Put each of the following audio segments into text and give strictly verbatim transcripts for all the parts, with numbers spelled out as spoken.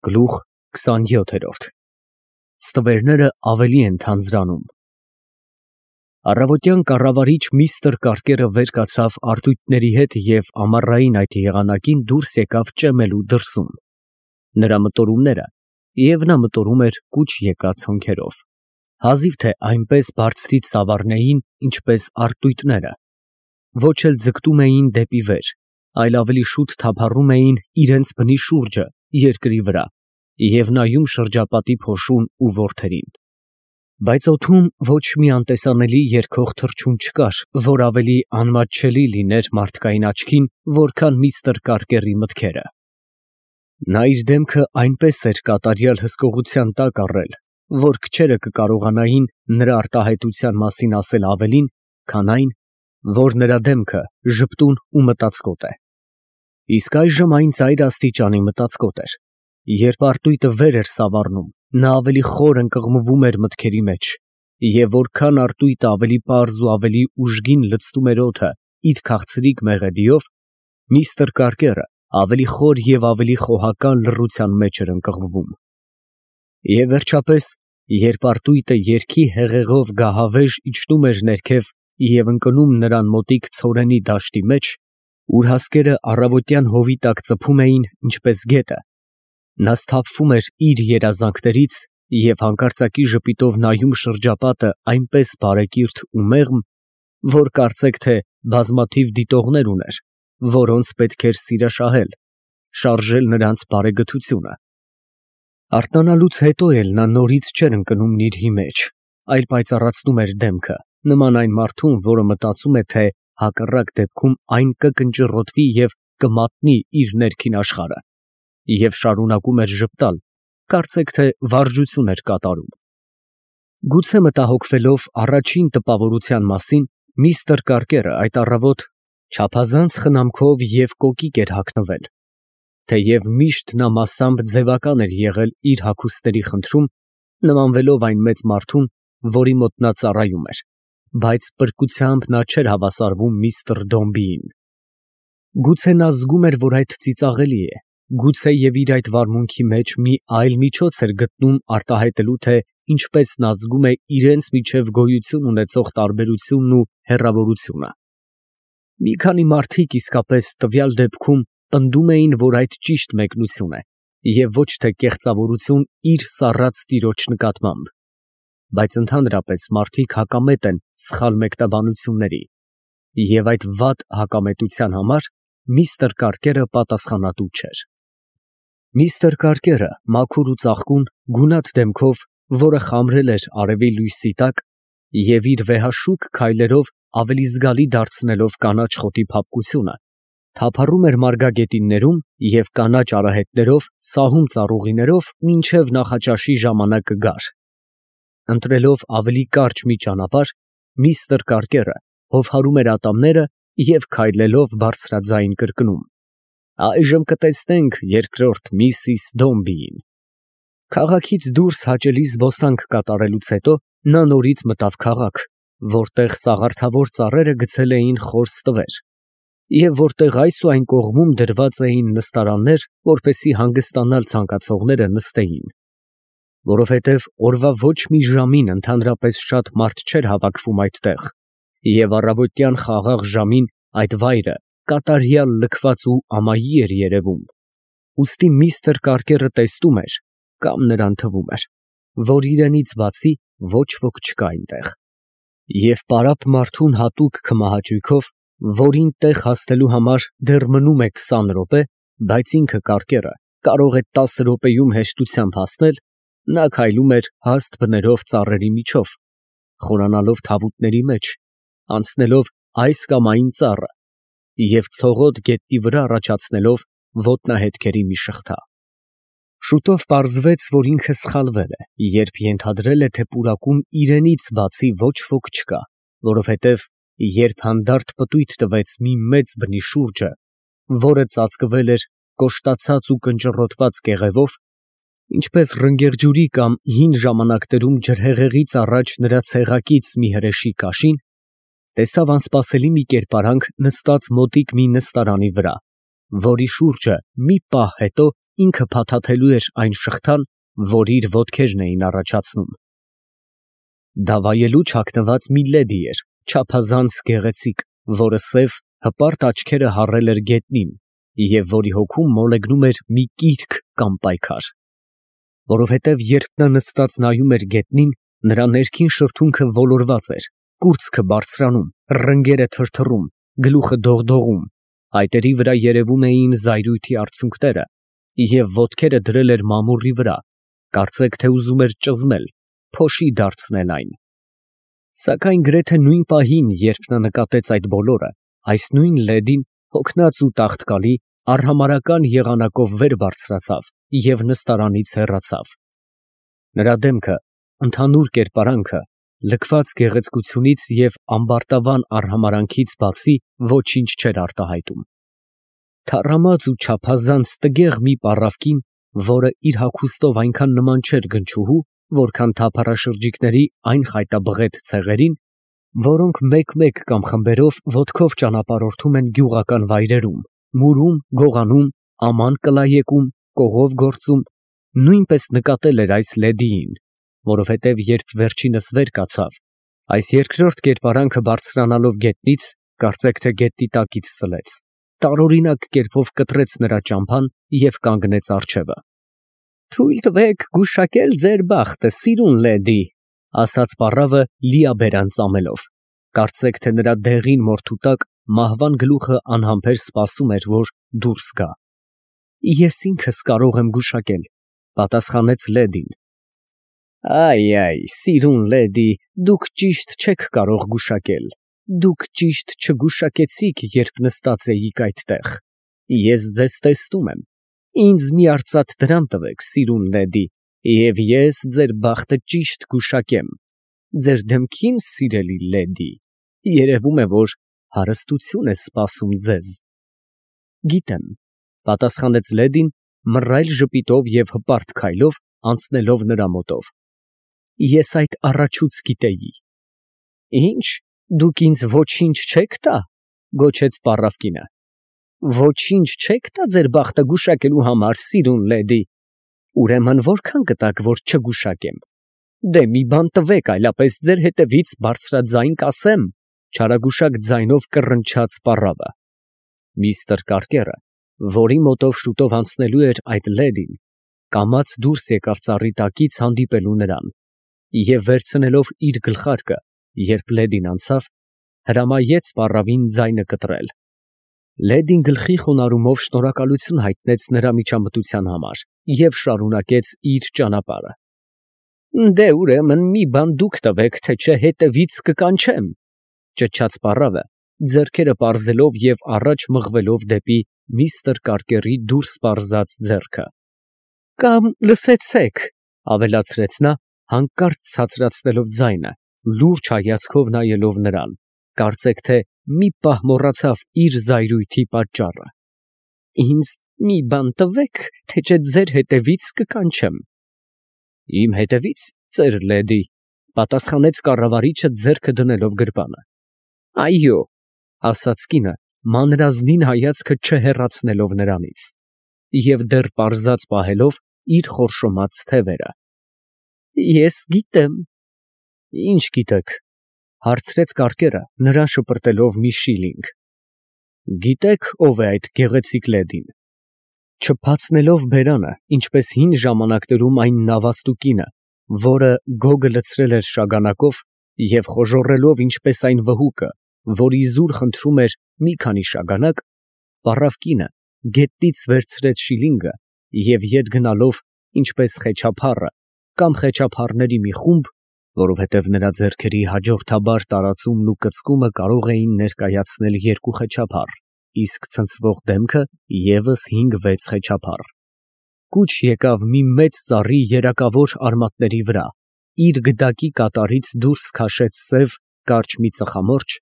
Գլուխ քսանյոթ։ Ստվերները ավելի են թանձրանում։ Առավոտյան կառավարիչ միստր Կարկերը վեր կացավ արհույթների հետ և ամառային այդ եղանակին դուրս եկավ ճեմելու դրսում։ Նրա մտորումները, և նա մտորում էր կուչ եկած հոնքերով, հազիվ թե այնպես բարձրից ծավառնեին, ինչպես արհույթները, ոչ էլ ձգտում էին դեպի վեր, այլ ավելի շուտ թափառում էին իրենց բնի շուրջը, երկրի վրա, և նայում շրջապատի փոշուն ու որդերին։ Բայց օդում ոչ մի անտեսանելի երգող թռչուն չկար, որ ավելի անմատչելի լիներ մարդկային աչքին, որքան միստր Կարկերի մտքերը։ Նա իր դեմքը այնպես էր կատարյալ հսկողության տակ առել, որ քչերը կկարողանային նրա արտահայտության մասին ասել ավելին, քան այն, որ նրա դեմքը ժպտուն ու մտածկոտ է։ Իսկ այժմ այն ծայր աստիճանի մտածկոտ էր։ Երբ արհույթը վեր էր սավառնում, նա ավելի խոր ընկղմվում էր մտքերի մեջ, և որքան արհույթը ավելի պարզ ու ավելի ուժգին լցնում էր օդը իր քաղցրիկ մեղեդիով, միստր Կարկերը ավելի խոր և ավելի խոհական լռության մեջ էր ընկղմվում։ Եվ վերջապես, երբ արհույթը երգի հեղեղով գահավեժ իջնում էր ներքև և ընկնում նրան մոտիկ ցորենի դաշտի մեջ, ուր հասկերը առավոտյան հովի տակ ծփում էին, ինչպես գետը, նա սթափվում էր իր երազանքներից և հանկարծակի ժպիտով նայում շրջապատը այնպես բարեկիրթ ու մեղմ, որ կարծեք թե բազմաթիվ դիտողներ ուներ, որոնց պետք էր սիրաշահել, շարժել նրանց բարեգթությունը։ Արթնանալուց հետո էլ նա նորից չէր ընկնում նիրհի մեջ, այլ պայծառացնում էր դեմքը, նման այն մարդուն, որը մտածում է, թե հակառակ դեպքում այն կկնճռոտվի և կմատնի իր ներքին աշխարհը, և շարունակում էր ժպտալ, կարծեք թե վարժություն էր կատարում։ Գուցե մտահոգվելով առաջին տպավորության մասին, միստր Կարկերը այդ առավոտ չափազանց խնամքով և կոկիկ էր հագնվել, թեև միշտ նա մասամբ ձևական էր եղել իր հագուստների խնդրում, նմանվելով այն մեծ մարդուն, որի մոտ նա ծառայում էր, բայց պրկությամբ նա չէր հավասարվում միստր Դոմբիին։ Գուցե նա զգում էր, որ այդ ծիծաղելի է, գուցե և իր այդ վարմունքի մեջ մի այլ միջոց էր գտնում արտահայտելու, թե ինչպես նա զգում է իրենց միջև գոյություն ունեցող տարբերությունն ու հեռավորությունը։ Մի քանի մարդիկ իսկապես տվյալ դեպքում պնդում էին, որ այդ ճիշտ մեկնություն է, և ոչ թե կեղծավորություն իր սառած տիրոջ նկատմամբ, բայց ընդհանրապես մարդիկ հակամետ են սխալ մեկնաբանությունների, և այդ վատ հակամետության համար միստր Կարկերը պատասխանատու չէր։ Միստր Կարկերը, մաքուր ու ծաղկուն, գունատ դեմքով, որը խամրել էր արևի լույսի տակ, և իր վեհաշուք քայլերով ավելի զգալի դարձնելով կանաչ խոտի փափկությունը, թափառում էր մարգագետիններում և կանաչ արահետներով, սահում ծառուղիներով, մինչև նախաճաշի ժամանակը գար։ Ընտրելով ավելի կարճ մի ճանապարհ, միստր Կարկերը հովհարում էր ատամները և քայլելով բարձրաձայն կրկնում. «Այժմ կտեսնենք երկրորդ միսիս Դոմբիին»։ Քաղաքից դուրս հաճելի զբոսանք կատարելուց հետո նա նորից մտավ քաղաք, որտեղ սաղարթավոր ծառերը գցել էին խոր ստվեր, և որտեղ այս ու այն կողմում դրված էին նստարաններ, որպեսզի հանգստանալ ցանկացողները նստեին։ Որովհետև օրվա ոչ մի ժամին ընդհանրապես շատ մարդ չէր հավաքվում այդտեղ, և առավոտյան խաղաղ ժամին այդ վայրը կատարյալ լքված ու ամայի էր երևում, ուստի միստր Կարկերը տեսնում էր, կամ նրան թվում էր, որ իրենից բացի ոչ ոք չկա այնտեղ, և պարապ մարդուն հատուկ քմահաճույքով, որին տեղ հասնելու համար դեռ մնում է քսան րոպե, բայց ինքը Կարկերը կարող է տասը րոպեում հեշտությամբ հասնել, նա քայլում էր հաստ բներով ծառերի միջով, խորանալով թավուտների մեջ, անցնելով այս կամ այն ծառը և ցողոտ գետնի վրա առաջացնելով ոտնահետքերի մի շղթա։ Շուտով պարզվեց, որ ինքը սխալվել է, երբ ենթադրել է, թե պուրակում իրենից բացի ոչ ոք չկա, որովհետև երբ հանդարտ պտույտ տվեց մի մեծ բնի շուրջը, որը ծածկվել էր կոշտացած ու կնճռոտված կեղևով, ինչպես ռնգեղջյուրի կամ հին ժամանակներում ջրհեղեղից առաջ նրա ցեղակից մի հրեշի կաշին, տեսավ անսպասելի մի կերպարանք նստած մոտիկ մի նստարանի վրա, որի շուրջը մի պահ հետո ինքը փաթաթելու էր այն շղթան, որ իր ոտքերն էին առաջացնում։ Դա վայելու չակնված մի լեդի էր, չափազանց գեղեցիկ, որը սև, հպարտ աչքերը հառել էր գետնին և որի հոգում մոլեգնում էր մի կիրք կամ պայքար։ Որովհետև երբ նա նստած նայում էր գետնին, նրա ներքին շրթունքը ոլորված էր, կուրծքը բարձրանում, ռնգերը թրթռում, գլուխը դողդողում, այտերի վրա երևում էին զայրույթի արցունքները, և ոտքերը դրել էր մամուռի վրա, կարծեք թե ուզում էր ճզմել, փոշի դարձնել այն։ Սակայն գրեթե նույն պահին, երբ նա նկատեց այդ բոլորը, այս նույն լեդին, հոգնած ու տաղտկալի, արհամարհական եղանակով վեր բարձրացավ և նստարանից հեռացավ։ Նրա դեմքը, ընդհանուր կերպարանքը, լքված գեղեցկությունից և ամբարտավան արհամարհանքից բացի ոչինչ չէր արտահայտում։ Թառամած ու չափազանց տգեղ մի պառավ կին, որը իր հագուստով այնքան նման չէր գնչուհու, որքան թափառաշրջիկների այն խայտաբղետ ցեղերին, որոնք մեկ֊մեկ կամ խմբերով ոտքով ճանապարհորդում են գյուղական վայրերում, մուրում, գողանում, աման կլայեկում, կողով գործում, նույնպես նկատել էր այս լեդիին, որովհետև երբ վերջինս վեր կացավ, այս երկրորդ կերպարանքը բարձրանալով գետնից, կարծեք թե գետնի տակից ցլեց, տարօրինակ կերպով կտրեց նրա ճամփան և կանգնեց առջևը։ «Թույլ տվեք գուշակել ձեր բախտը, սիրուն լեդի», ասաց պառավը լիաբերան ծամելով, կարծեք թե նրա դեղին մորթու տակ մահվան գլուխը անհամբեր սպասում էր, որ դուրս գա։ «Ես ինքս կարող եմ գուշակել», պատասխանեց լեդին։ «Այ, սիրուն լեդի, դուք ճիշտ չեք կարող գուշակել, դուք ճիշտ չգուշակեցիք, երբ նստած էիք այդտեղ։ Ես ձեզ տեսնում եմ, ինձ մի արծաթ դրամ տվեք, սիրուն լեդի, և ես ձեր բախտը ճիշտ կգուշակեմ։ Ձեր դեմքին, սիրելի լեդի, երևում է, որ հարստություն է սպասում ձեզ»։ «Գիտեմ», պատասխանեց լեդին, մռայլ ժպիտով և հպարտ քայլով անցնելով նրա մոտով։ «Ես այդ առաջուց գիտեի»։ «Ի՞նչ, դուք ինձ ոչինչ չեք տա», գոչեց պառավ կինը։ «Ոչինչ չեք տա ձեր բախտը գուշակելու համար, սիրուն լեդի։ Ուրեմն որքան կտաք, որ չգուշակեմ։ Դե մի բան տվեք, այլապես ձեր հետևից բարձրաձայն կասեմ», չարագուշակ ձայնով կռնչաց պառավը։ Միստր Կարկերը, որի մոտով շուտով անցնելու էր այդ լեդին, կամաց դուրս եկավ ծառի տակից հանդիպելու նրան, և վերցնելով իր գլխարկը, երբ լեդին անցավ, հրամայեց պառավին ձայնը կտրել։ Լեդին գլխի խոնարհումով շնորհակալություն հայտնեց նրա միջամտության համար և շարունակեց իր ճանապարհը։ «Դե ուրեմն մի բան դուք տվեք, թե չէ հետևից կկանչեմ», ճչաց պառավը, ձեռքերը պարզելով և առաջ մղվելով դեպի միստր Կարկերի դուրս պարզած ձեռքը։ «Կամ լսեցեք», ավելացրեց նա, հանկարծ ցածրացնելով ձայնը, լուրջ հայացքով նայելով նրան, կարծեք թե մի պահ մոռացավ իր զայրույթի պատճառը։ «Ինձ մի բան տվեք, թե չէ ձեր հետևից կկանչեմ»։ «Իմ հետևից, ծեր լեդի», պատասխանեց կառավարիչը ձեռքը դնելով գրպանը։ «Այո», ասաց կինը, մանրազնին հայացքը չհեռացնելով նրանից, և դեռ պարզած պահելով իր խորշոմած թևերը։ «Ես գիտեմ»։ «Ինչ գիտեք», հարցրեց Կարկերը, նրան շպրտելով մի շիլինգ։ «Գիտեք, ով է այդ գեղեցիկ լեդին»։ Չբացնելով բերանը, ինչպես հին ժամանակներում այն նավաստու կինը, որը գոգը լցրել էր շագանակով, և խոժոռելով ինչպես այն վհուկը, որ իզուր խնդրում էր մի քանի շագանակ, պառավ կինը գետնից վերցրեց շիլինգը և ետ գնալով, ինչպես խեչափառը կամ խեչափառների մի խումբ, որովհետև նրա ձեռքերի հաջորդաբար տարածումն ու կծկումը կարող էին ներկայացնել երկու խեչափառ, իսկ ցնցվող դեմքը ևս հինգ֊վեց խեչափառ, կուչ եկավ մի մեծ ծառի երակավոր արմատների վրա, իր գդակի կատարից դուրս քաշեց սև, կարճ մի ծխամորճ,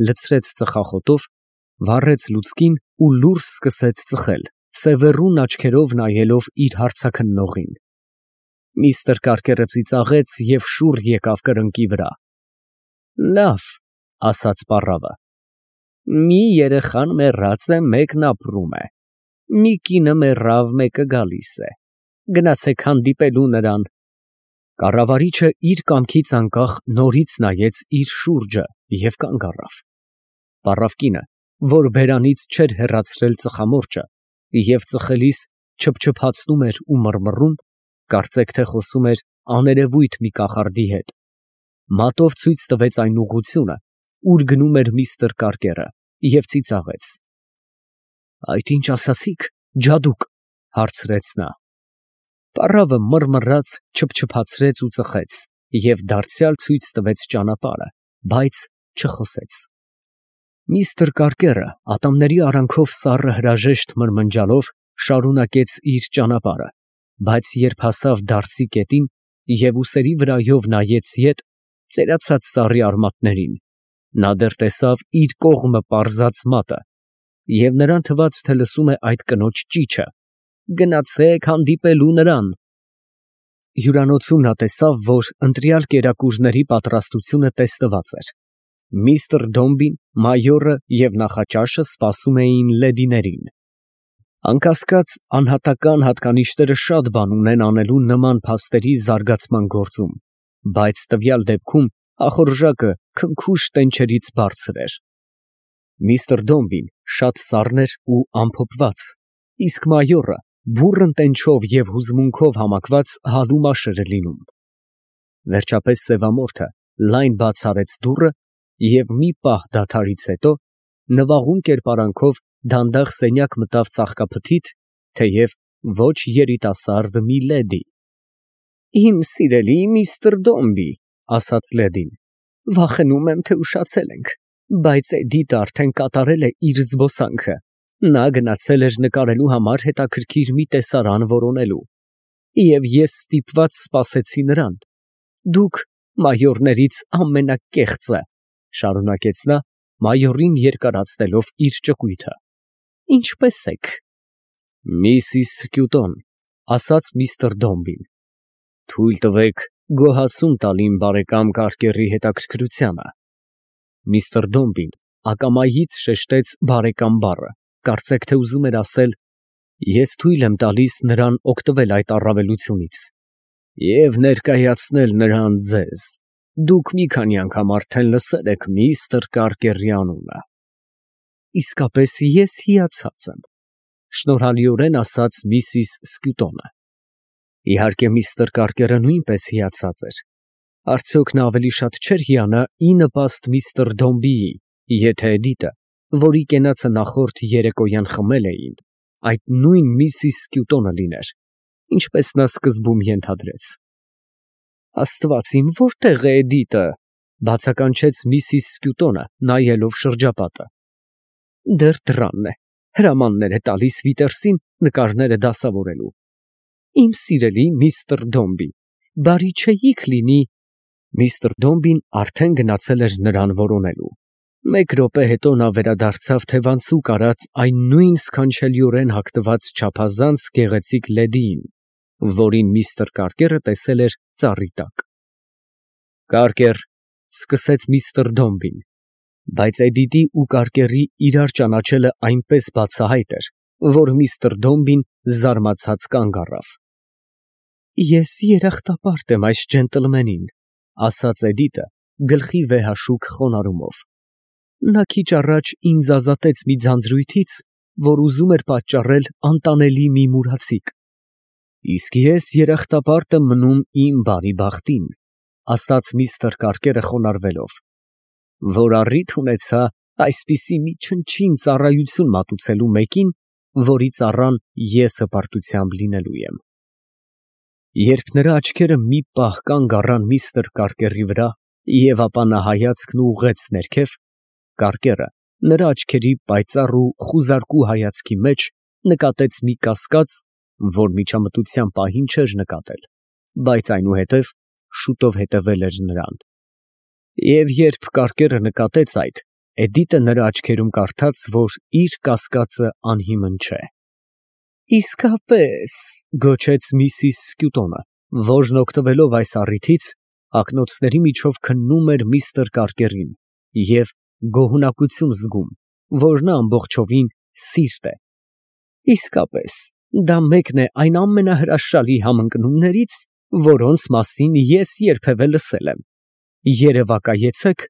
լցրեց ծխախոտով, վառեց լուցկին ու լուրջ սկսեց ծխել, սևեռուն աչքերով նայելով իր հարցաքննողին։ Միստր Կարկերը ծիծաղեց և շուռ եկավ կրկնակի վրա։ «Լավ», ասաց պառավը, «մի երեխան մեռած է, մեկն ապրում է։ Մի կինը մեռավ, մեկը գալիս է, գնացեք հանդիպելու նրան։ Կառավարիչը իր կամքից անկախ նորից նայեց իր շուրջը և կանգ առավ։ Պառավ կինը, որ բերանից չէր հեռացրել ծխամորճը և ծխելիս չփչփացնում էր ու մռմռում, կարծեք թե խոսում էր աներևույթ մի կախարդի հետ, մատով ցույց տվեց այն ուղղությունը, ուր գնում էր միստր Կարկերը, և ծիծաղեց։ Այդ ինչ ասացիք, ջադուկ, հարցրեց նա։ Պառավը մռմռաց, չփչփացրեց ու ծխեց և դարձյալ ցույց տվեց ճանապարհը, բայց չխոսեց։ Միստր Կարկերը ատամների արանքով սառը հրաժեշտ մրմնջալով շարունակեց իր ճանապարհը, բայց երբ հասավ դարսի կետին և ուսերի վրայով նայեց ետ, ծերացած ծառի արմատներին, նա դեռ տեսավ իր կողմը պարզած մատը, և նրան թվաց, թե լսում է այդ կնոջ ճիչը. «Գնացեք հանդիպելու նրան»։ Հյուրանոցում նա տեսավ, որ ընտրյալ կերակուրների պատրաստությունը տեստված էր։ Միստր Դոմբին, մայորը և նախաճաշը սպասում էին լեդիներին։ Անկասկած, անհատական հատկանիշները շատ բան ունեն անելու նման փաստերի զարգացման գործում, բայց տվյալ դեպքում ախորժակը քնքուշ տենչերից բարձր էր։ Միստր Դոմբին շատ սառն էր ու ամփոփված, իսկ մայորը բուռն տենչով և հուզմունքով համակված հալու մաշր էր լինում։ Վերջապես սևամորթը լայն բաց արեց դուռը և մի պահ դադարից հետո նվաղում կերպարանքով դանդաղ սենյակ մտավ ծաղկափթիթ, թեև ոչ երիտասարդ մի լեդի։ «Իմ սիրելի միստր Դոմբի», ասաց լեդին, «վախենում եմ, թե ուշացել ենք, բայց Էդիտը արդեն կատարել է իր զբոսանքը, նա գնացել էր նկարելու համար հետաքրքիր մի տեսարան որոնելու, և ես ստիպված սպասեցի նրան։ Դուք մայորներից ամենակեղծը, ֊ շարունակեց նա, մայորին երկարացնելով իր ճկույթը, ֊ ինչպե՞ս եք։ Միսիս Սկյուտոն, ֊ ասաց միստր Դոմբին, ֊ թույլ տվեք գոհացում տալ իմ բարեկամ Կարկերի հետաքրքրությանը։ Միստր Դոմբին ակամայից շեշտեց բարեկամ բառը, կարծեք թե ուզում էր ասել. ես թույլ եմ տալիս նրան օգտվել այդ առավելությունից և ներկայացնել նրան ձեզ, դուք մի քանի անգամ արդեն լսել եք միստր Կարկերի անունը։ Իսկապես ես հիացած եմ, ֊ շնորհալիորեն ասաց միսիս Սկյուտոնը։ Իհարկե միստր Կարկերը նույնպես հիացած էր։ Արդյոք նա ավելի շատ չէր հիանա ի նպաստ միստր Դոմբիի, եթե Էդիտը, որի կենացը նախորդ երեկոյան խմել էին, այդ նույն միսիս Սկյուտոնը լիներ, ինչպես նա սկզբում ենթադրեց։ Աստված իմ, որտե՞ղ է Էդիտը, ֊ բացականչեց միսիս Սկյուտոնը, նայելով շրջապատը։ Դեռ դռանն է, հրամաններ է տալիս Վիտերսին նկարները դասավորելու։ Իմ սիրելի միստր Դոմբի, բարի չէի՞ք լինի։ Միստր Դոմբին արդեն գնացել էր նրան որոնելու։ Մեկ րոպե հետո նա վերադարձավ թևանցուկ արած այն նույն սքանչելիորեն հագնված չափազանց գեղեցիկ լեդիին, որին միստր Կարկերը տեսել էր ծառի տակ։ Կարկեր, ֊ սկսեց միստր Դոմբին, բայց Էդիտի ու Կարկերի իրար ճանաչելը այնպես բացահայտ էր, որ միստր Դոմբին զարմացած կանգ առավ։ Ես երախտապարտ եմ այս ջենտլմենին, ֊ ասաց Էդիտը գլխի վեհաշուկ խոնարհումով։ Նա քիչ առաջ ինձ ազատեց մի ձանձրույթից, որ ուզում էր պատճառել անտանելի մի մուրացիկ։ Իսկ ես երախտապարտ եմ մնում իմ բարի բախտին, ֊ ասաց միստր Կարկերը խոնարհվելով, որ առիթ ունեցա այսպիսի մի չնչին ծառայություն մատուցելու մեկին, որի ծառան ես հպարտությամբ լինելու եմ։ Երբ նրա աչքերը մի պահ կանգ առան միստր Կարկերի վրա և ապա նա հայացքն ուղղեց ներքև, Կարկերը նրա աչքերի պայծառ ու խուզարկու հայացքի մեջ նկատեց մի կասկած, որ միջամտության պահին չէր նկատել, բայց այնուհետև շուտով հետևել էր նրան։ Եվ երբ Կարկերը նկատեց այդ, Էդիտը նրա աչքերում կարդաց, որ իր կասկածը անհիմն չէ։ Իսկապես, ֊ գոչեց միսիս Սկյուտոնը, որն օգտվելով այս առիթից ակնոցների միջով քննում էր միստր Կարկերին և գոհունակություն զգում, որ նա ամբողջովին սիրտ է։ Իսկապես, դա մեկն է այն ամենահրաշալի համընկնումներից, որոնց մասին ես երբևէ լսել եմ։ Երևակայեցեք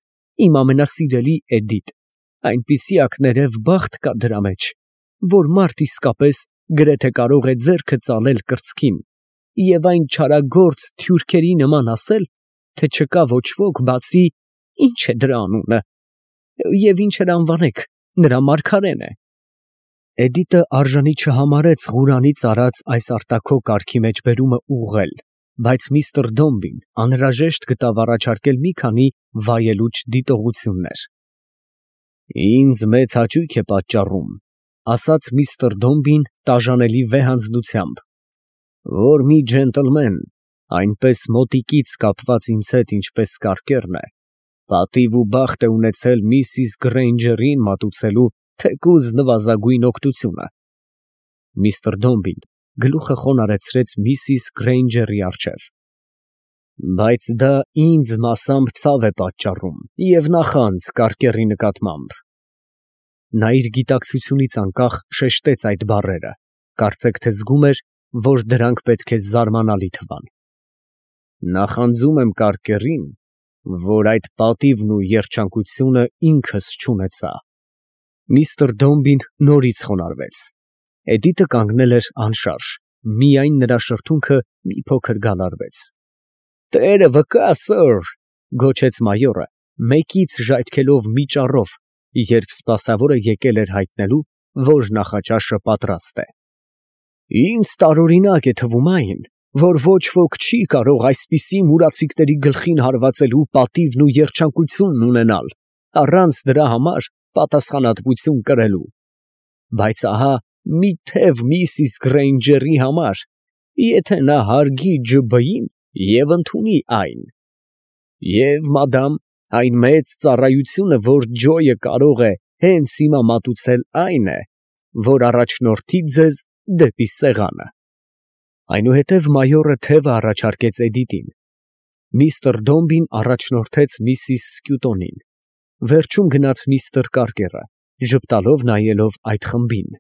իմ ամենասիրելի Էդիտ, այնպիսի ակներև բախտ կա դրա մեջ, որ մարդ իսկապես գրեթե կարող է ձեռքը ծալել կրծքին և այն չարագործ թյուրքերի նման ասել, թե չկա ոչ ոք, բացի ինչ է դրա անունը, և ինչ էլ անվանեք, նրա մարգարեն է։ Էդիտը արժանի չհամարեց Ղուրանից արած այս արտաքո կարգի մեջ բերումը ուղղել, բայց միստր Դոմբին անհրաժեշտ գտավ առաջարկել մի քանի վայելուչ դիտողություններ։ Ինձ մեծ հաճույք է պատճառում, ասաց միստր Դոմբին տաժանելի վեհանձնությամբ, որ մի ջենտլմեն, այնպես մոտիկից կապված ինձ հետ, ինչպես Կարկերն է, պատիվ ու բախտ է ունեցել միսիս Գրեյնջերին մատուցելու թեկուզ նվազագույն օգնությունը։ Միստր Դոմբին գլուխը խոնարհեցրեց միսիս Գրեյնջերի առջև։ Բայց դա ինձ մասամբ ցավ է պատճառում և նախանձ Կարկերի նկատմամբ։ Նա իր գիտակցությունից անկախ շեշտեց այդ բառերը, կարծեք թե զգում էր, որ դրանք պետք է զարմանալի թվան։ Նախանձում եմ Կարկերին, որ այդ պատիվն ու երջանկությունը ինքս չունեցա։ Միստր Դոմբին նորից խոնարհվեց։ Էդիտը կանգնել էր անշարժ, միայն նրա շրթունքը մի փոքր գալարվեց։ Տերը վկա, սըր, գոչեց մայորը, մեկից ժայթքելով մի ճառով, երբ սպասավորը եկել էր հայտնելու, որ նախաճաշը պատրաստ է։ Ինձ տարօրինակ է թվում այն, որ ոչ ոք չի կարող այսպիսի մուրացիկների գլխին հարվածելու պատիվն ու երջանկությունն ունենալ, առանց դրա համար պատասխանատվություն կրելու։ Բայց ահա մի թև միսիս Գրեյնջերի համար, եթե նա հարգի ջի֊բի֊ին և ընդունի այն։ Եվ, մադամ, այն մեծ ծառայությունը, որ Ջոյը կարող է հենց հիմա մատուցել, այն է, որ առաջնորդի ձեզ դեպի սեղանը։ Այնուհետև մայորը թևը առաջարկեց Էդիտին։ Միստր Դոմբին առաջնորդեց միսիս Սկյուտոնին։ Վերջում գնաց միստր Կարկերը, ժպտալով նայելով այդ խմբին։